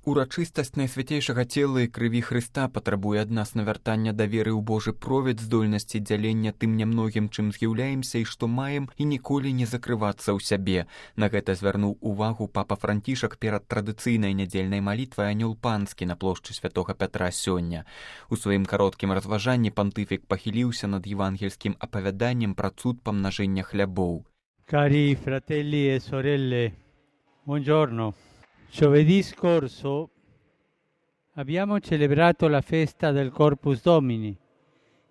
Урачыстасць найсвяцейшага цела і крыві Хрыста патрабуе ад нас навяртання да веры ў Божы провід, здольнасці дзялення тым нямногім, чым з'яўляемся і што маем, і ніколі не закрывацца ў сябе. На гэта звярнуў увагу папа Францішак перад традыцыйнай нядзельнай малітвай анёл панскі на плошчы святога Пятра сёння. У сваім кароткім разважанні пантыфік пахіліўся над евангельскім апавяданнем пра цуд памнажэння хлябоў. Cari fratelli e sorelle, buongiorno. Giovedì scorso abbiamo celebrato la festa del Corpus Domini,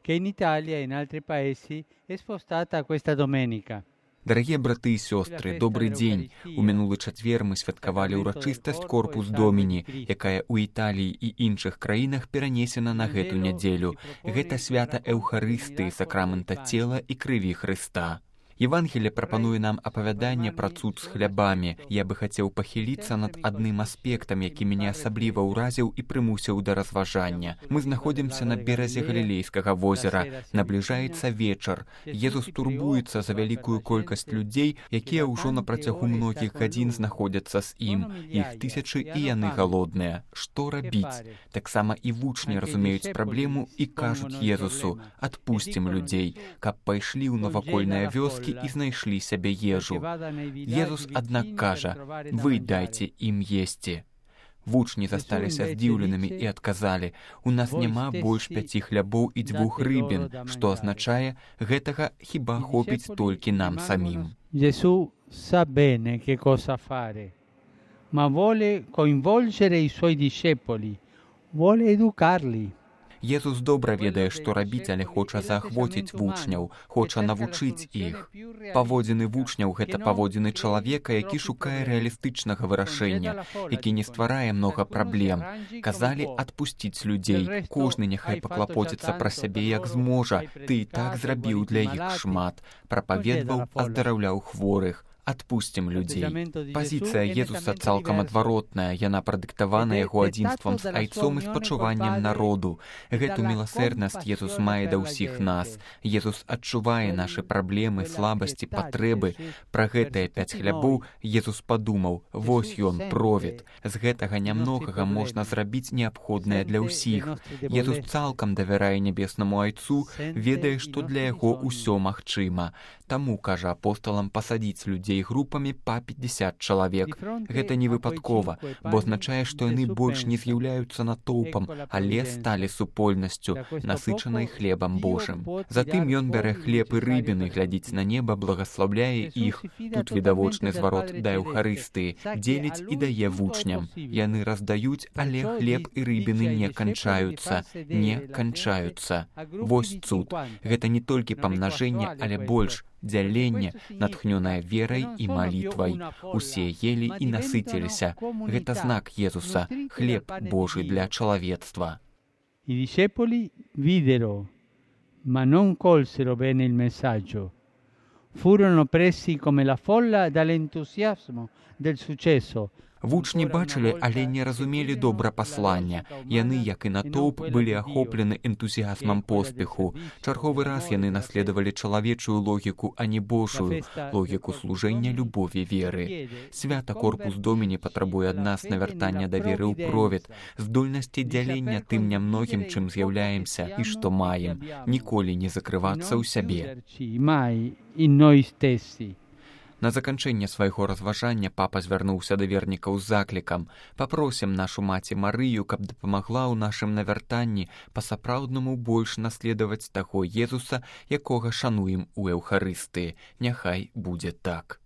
che in Italia e in altri paesi è spostata a questa domenica. Дарагія браты і сёстры, добры дзень! У мінулы чацвер мы святкавалі ўрачыстасць Корпус Доміні, якая ў Італіі і іншых краінах перанесена на гэту нядзелю. Гэта свята Эўхарыстыі, сакрамента цела і крыві Хрыста. Евангелие прапануе нам апавяданне пра цуд з хлябамі. Я бы хацеў пахіліцца над адным аспектам, які мяне асабліва ўразіў і прымусіў да разважання. Мы знаходзімся на беразе Галілейскага возера. Набліжаецца вечар. Езус турбуецца за вялікую колькасць людзей, якія ўжо на працягу многіх гадзін знаходзяцца з ім. Іх тысячы і яны галодныя. Што рабіць? Таксама і вучні разумеюць праблему і кажуць Езусу: «Адпусцім людзей, каб пайшлі ў навакольныя вёскі і знайшлі сябе ежу». Езус, аднак, кажа: «Вы дайце ім есці». Вучні засталіся здзіўленымі і адказалі: «У нас няма больш 5 хлябоў і 2 рыбін», што азначае, гэтага хіба хопіць толькі нам самім. Gesù sa bene che cosa fare, ma vuole coinvolgere i suoi discepoli, vuole educarli. Езус добра ведае, што рабіць, але хоча заахвоціць вучняў, хоча навучыць іх. Паводзіны вучняў — гэта паводзіны чалавека, які шукае рэалістычнага вырашэння, які не стварае многа праблем. Казалі адпусціць людзей. Кожны няхай паклапоціцца пра сябе як зможа. Ты і так зрабіў для іх шмат. Прапаведваў, аздараўляў хворых. Адпусцім людзей. Пазіцыя Езуса цалкам адваротная, яна прадыктавана яго адзінствам з айцом і спачуваннем народу. Гэту міласэрнасць Езус мае да ўсіх нас. Езус адчувае нашы праблемы, слабасці, патрэбы. Пра гэтыя 5 хлябоў Езус падумаў: вось ён, провід. З гэтага нямногага можна зрабіць неабходнае для ўсіх. Езус цалкам давярае нябеснаму айцу, ведае, што для яго ўсё магчыма. Таму, кажа апосталам, пасадзіць людзей групамі па 50 чалавек. Гэта не выпадкова, бо азначае, што яны больш не з'яўляюцца натоўпам, але сталі супольнасцю, насычанай хлебам Божым. Затым ён бярэ хлеб і рыбіны, глядзіць на неба, благаслаўляе іх. Тут відавочны зварот да Эўхарыстыі, дзеліць і дае вучням. Яны раздаюць, але хлеб і рыбіны не канчаюцца. Не канчаюцца. Вось цуд. Гэта не толькі памнажэнне, але больш дзяленне, натхнёнае верай і малітвай. Усе елі і насыціліся. Гэта знак Езуса, хлеб Божы для чалавецтва. I discepoli videro, ma non colsero bene il messaggio. Furono presi come la folla dall'entusiasmo del successo. Вучні бачылі, але не разумелі добра паслання. Яны, як і натоўп, былі ахоплены энтузіазмам поспеху. Чарговы раз яны наследавалі чалавечую логіку, а не Божую, логіку служэння, любові, веры. Свята Корпус Доміні патрабуе ад нас навяртання да веры ў провід, здольнасці дзялення тым нямногім, чым з'яўляемся і што маем, ніколі не закрывацца ў сябе. На заканчэнне свайго разважання папа звярнуўся да вернікаў з заклікам: «Папросім нашу маці Марыю, каб дапамагла ў нашым навяртанні па-сапраўднаму больш наследаваць таго Езуса, якога шануем у Эўхарыстыі. Няхай будзе так».